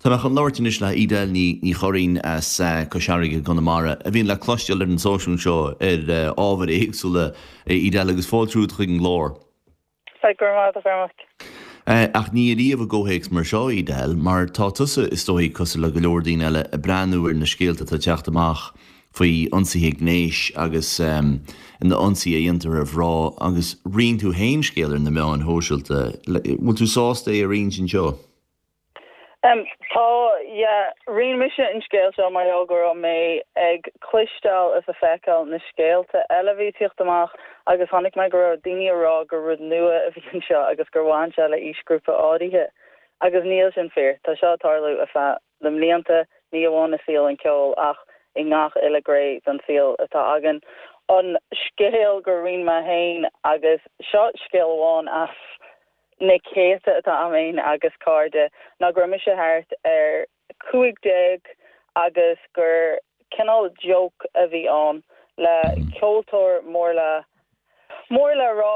Tá mé chun labhairt anois le Edel Ní Churraoin as Cois Fharraige i gConamara, a bhíonn le cloisteáil ar an stáisiún seo ar ábhair éagsúla. Edel, agus fáilte romhat chuig an gclár. Sea, go raibh maith agat, a Chormaic. Ach ní ariamh i gcomhthéacs mar seo, Edel, mar tá tusa, is dóigh, cosúil le go leor daoine eile, ag breathnú ar na scéalta atá ag teacht amach faoi ionsaithe gnéis agus na ionsaithe a dhéantar ar mhná agus roinn tú féin scéal ar na meáin shóisialta. Bhfuil tú sásta é a roinnt anseo? Tá, yeah. Roinn mise an scéal seo mar gheall go raibh mé ag cloisteáil is ag feiceáil na scéalta eile a bhí ag tíocht amach agus chonaic mé go raibh daoine ag rá gur rud nua a bhí anseo agus gur bhain sé le aoisghrúpa áirithe agus níl sin fíor. Tá seo ag tarlú ar feadh na mblianta, ní amháin i saol an cheoil ach i ngach uile ghné den saol atá againn. An scéal gur roinn mé féin agus seo scéal amháin as na céadta atá a'm féin agus cairde ná go raibh mise thart ar 15 agus gur cineál joke a bhí ann le ceoltóir mór le mór le rá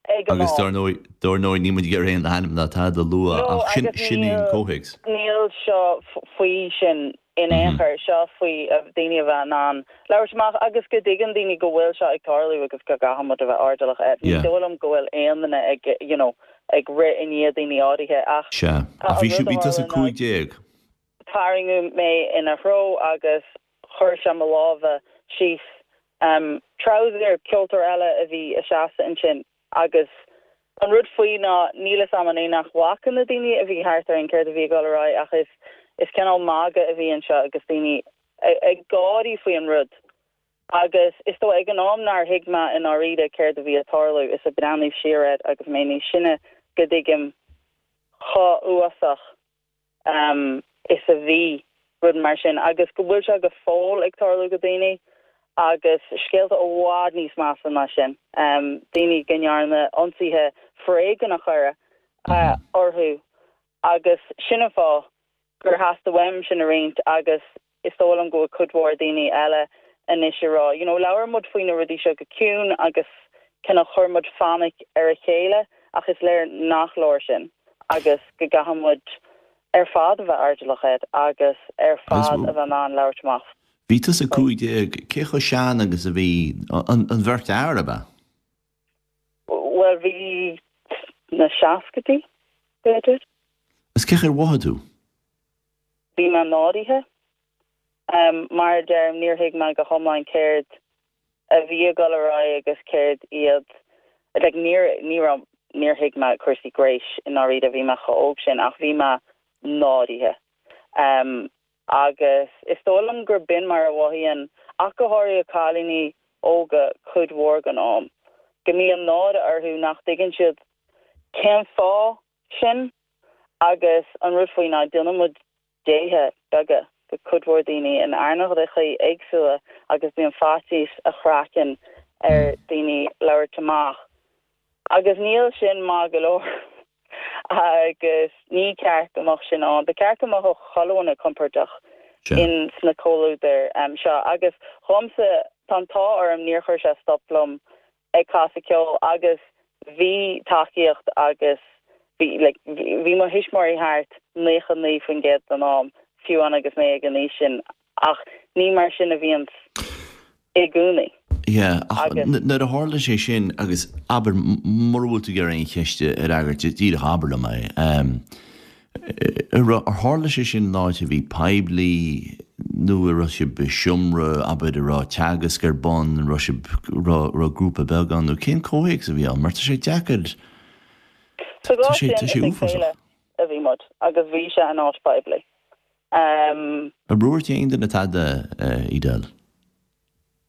ag an Agus am. dar ndóigh, dar ndóigh níl muid ag iarraidh aon ainm ná tada a lua No ach sin, agus sin é an níl, comhthéacs. níl seo faoi sin in aon chor, seo faoi daoine a bheith in ann labhairt amach agus go dtuigeann daoine go bhfuil seo ag tarlú agus go gcaithfidh muid a bheith airdeallach air. Ní dóigh liom go bhfuil aon duine ag, you know, ag rith i ndiaidh daoine áirithe ach Sea. tá Ach an bhí rud a bhí tusa tharla ná 15. tarraingeadh mé ina threo agus chuir sé mo lámha síos treabhsar ceoltóir eile a bhí ag seasamh ansin Agus an rud faoi ná níl fhios a'm an é nach bhfaca na daoine a bhí thart orainn céard a bhí ag dul ar aghaidh ach is is cineál magadh a bhí anseo agus daoine ag gáirí faoi an rud. Agus is dóigh ag an am nár thuig mé i ndáiríre céard a bhí ag tarlú is ag breathnú siar air agus mé níos sine go dtuigim chomh uafásach is a bhí rud mar sin agus go bhfuil sé go fóill ag tarlú go daoine agus scéalta i bhfad níos measa ná sin, daoine go ndearna ionsaithe foréigneacha orthu agus sin an fáth gur theastaigh uaim sin a roinnt agus is dóigh liom go bhfuil cuid mhór daoine eile anois ag rá, you know, labhair muid faoi na rudaí seo go ciúin agus cineál chuir muid fainic ar a chéile ach is léir nach leor sin agus go gcaithfidh muid ar fad a bheith airdeallach air agus ar fad a bheith in ann labhairt amach Bhí tusa faoi. 15, cé chomh sean agus a bhí an bheirt fhear, ab ea? Bhuel, bhí na seascaidí, b'fhéidir. Agus cén chaoi ar mhothaigh tú? Bhí mé náirithe. Mar a deirim, níor thuig mé go hiomlán céard a bhí ag dul ar aghaidh agus céard iad, like, níor, ní raibh, níor thuig mé cúrsaí gnéis i ndáiríre, bhí mé chomh óg sin, ach bhí mé náirithe. Agus is dóigh liom gur b'in mar a mhothaíonn, ach go háirithe cailíní óga cuid mhór den am, go mbíonn náire orthu nach dtuigeann siad cén fáth sin. Agus an rud faoi ná déanann muid déithe beaga de cuid mhór daoine in earnálacha éagsúla agus bíonn faitíos a chraiceann ar daoine labhairt amach. Agus níl sin maith go leor agus ní ceart go mbeadh sin ann. Ba cheart go mbeadh chuile dhuine compordach in sna comhluadair seo. Agus dhomsa, tá an t-ádh orm níor chuir sé stop liom ag casadh ceoil agus bhí tacaíocht agus bhí like bhí mo thuismitheoirí thart 99% den am, fiú amháin agus mé ag an aois sin ach ní mar sin a bhíonns i gcónaí. Yeah, ach nuair a tharla sé sin agus abair mura bhfuil tú ag iarraidh aon cheist a fhreagairt, díreach abair liom é. Ar tharla sé sin in áit a bhí poiblí nó an raibh sibh i seomra, abair, a raibh teagasc ar bun, an raibh sibh, raibh grúpa beag ann nó cén comhthéacs a bhí ann? Mar tá sé deacair, Sa tá sé, tá sé uafásach. a bhí muid agus bhí sé in áit poiblí. Ar dhúirt aon duine tada, Edel?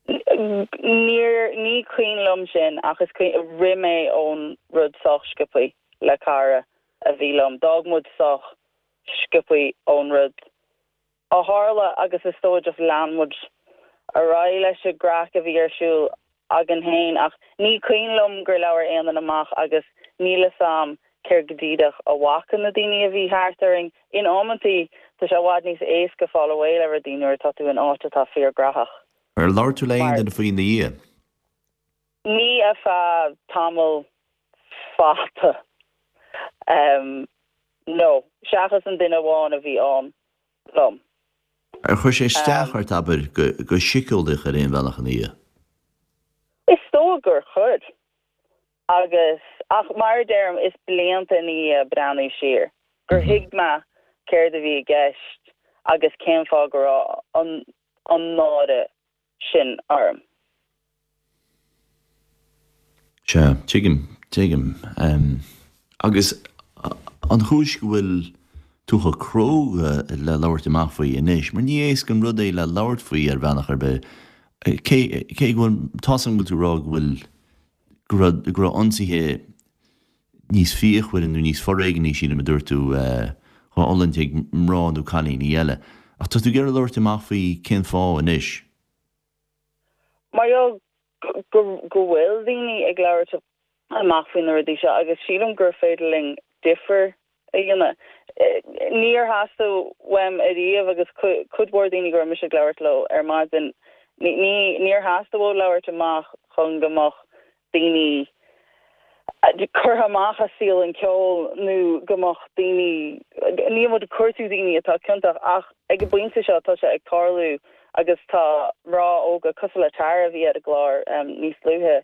Níor, ní cuimhin liom sin ach is cuimhin, rith mé ón rud sách sciobthaí le cara a bhí liom. D'fhág muid sách sciobthaí ón rud a tharla agus is dóigh just lean muid ar aghaidh leis an gcraic a bhí ar siúl againn féin ach ní cuimhin liom gur labhair aon duine amach agus níl fhios a'm céard go díreach a bhfaca na daoine a bhí thart orainn. In amantaí tá sé i bhfad níos éasca fáil away le rudaí nuair atá tú in áit atá fíorghraitheach. Ar labhair tú le aon duine faoi ina dhiaidh? Ní ar feadh tamall fada. No, seachas an duine amháin a bhí ann liom. Ar chuir sé isteach ort, abair, go síceolaíoch ar aon bhealach ina dhiaidh? Is dóigh gur chuir. Agus, ach mar a deirim, is blianta ina dhiaidh breathnú siar, gur thuig mé céard a bhí i gceist agus cén fáth go raibh an an náire sin orm. Sea, tuigim, tuigim. Agus an chúis go bhfuil tú chomh cróga le labhairt amach faoi anois, mar ní éasca an rud é le labhairt faoi ar bhealach ar bith, cé, cé go bhfuil, tá's agam go bhfuil tú ag rá go bhfuil, go raibh, go raibh ionsaithe níos fíochmhaire nó níos foréigní, sílim a dúirt tú, á bhfulaingt ag mná nó cailíní eile. Ach tá tú ag iarraidh labhairt amach faoi cén fáth anois? Mar gheall go bhfuil daoine ag labhairt amach faoi na rudaí seo agus sílim gur féidir linn difear a dhéanamh. Níor theastaigh uaim ariamh agus cuid mhór daoine go raibh mise ag labhairt leo ar maidin, níor theastaigh uathu labhairt amach chun go mbeadh daoine curtha amach as saol an cheoil nó go mbeadh daoine, níl muid ag cuartú daoine atá ciontach ach ag an bpointe seo tá sé ag tarlú agus tá mná óga cosúil le Tara a bhí ar an gclár níos luaithe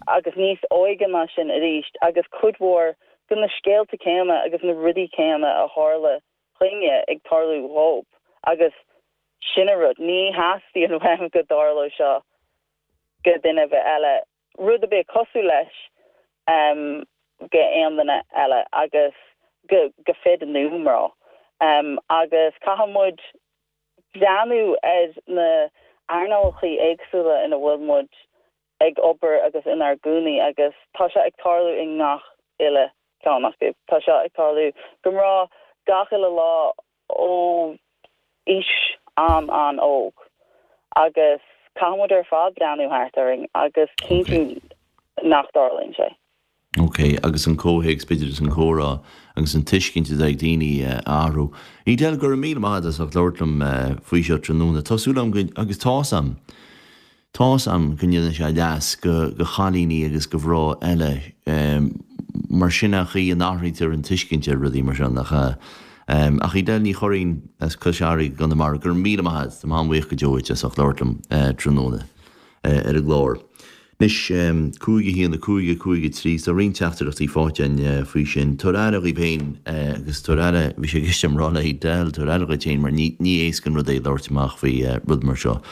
agus níos óige ná sin arís agus cuid mhór de na scéalta céanna agus na rudaí céanna a tharla dhúinne ag tarlú dhóibh agus sin an rud, ní theastaíonn uaim go dtarlódh seo go duine ar bith eile, rud ar bith cosúil leis go aon duine eile agus go go fir nó mná. Agus caithfidh muid breathnú ar na earnálacha éagsúla ina bhfuil muid ag obair agus inár gcónaí agus tá seo ag tarlú i ngach uile ceann acu. Tá seo ag tarlú go mná gach uile lá ó aois an-an-óg agus caithfidh muid ar fad breathnú thart orainn agus cinntiú nach dtarlaíonn sé. Ok, agus an comhthéacs b'fhéidir is an comhrá agus an tuiscint atá ag daoine a athrú. Edel, go raibh míle maith agat as ucht labhairt liom faoi seo tráthnóna. Tá súil agam go, agus tá's a'm, tá's a'm go ndéanfaidh sé leas go, go chailíní agus go mhná eile mar sin an chaoi a n-athraítear an tuiscint ar rudaí mar seo, nach ea? Ach Edel Ní Churraoin as Cois Fharraige i gConamara, go raibh míle maith agat, táim an-bhuíoch go deo duit as ucht labhairt liom tráthnóna ar an gclár. Anois, 5, 1, 5, 5, 3, tá roinnt teachtaireachtaí faighte againn faoi sin. Tabhair aire dhaoibh féin agus tabhair aire, bhí sé i gceist agam rá le Edel, tabhair aire dhuit féin mar ní, ní éasca an rud é labhairt amach faoi rud mar seo.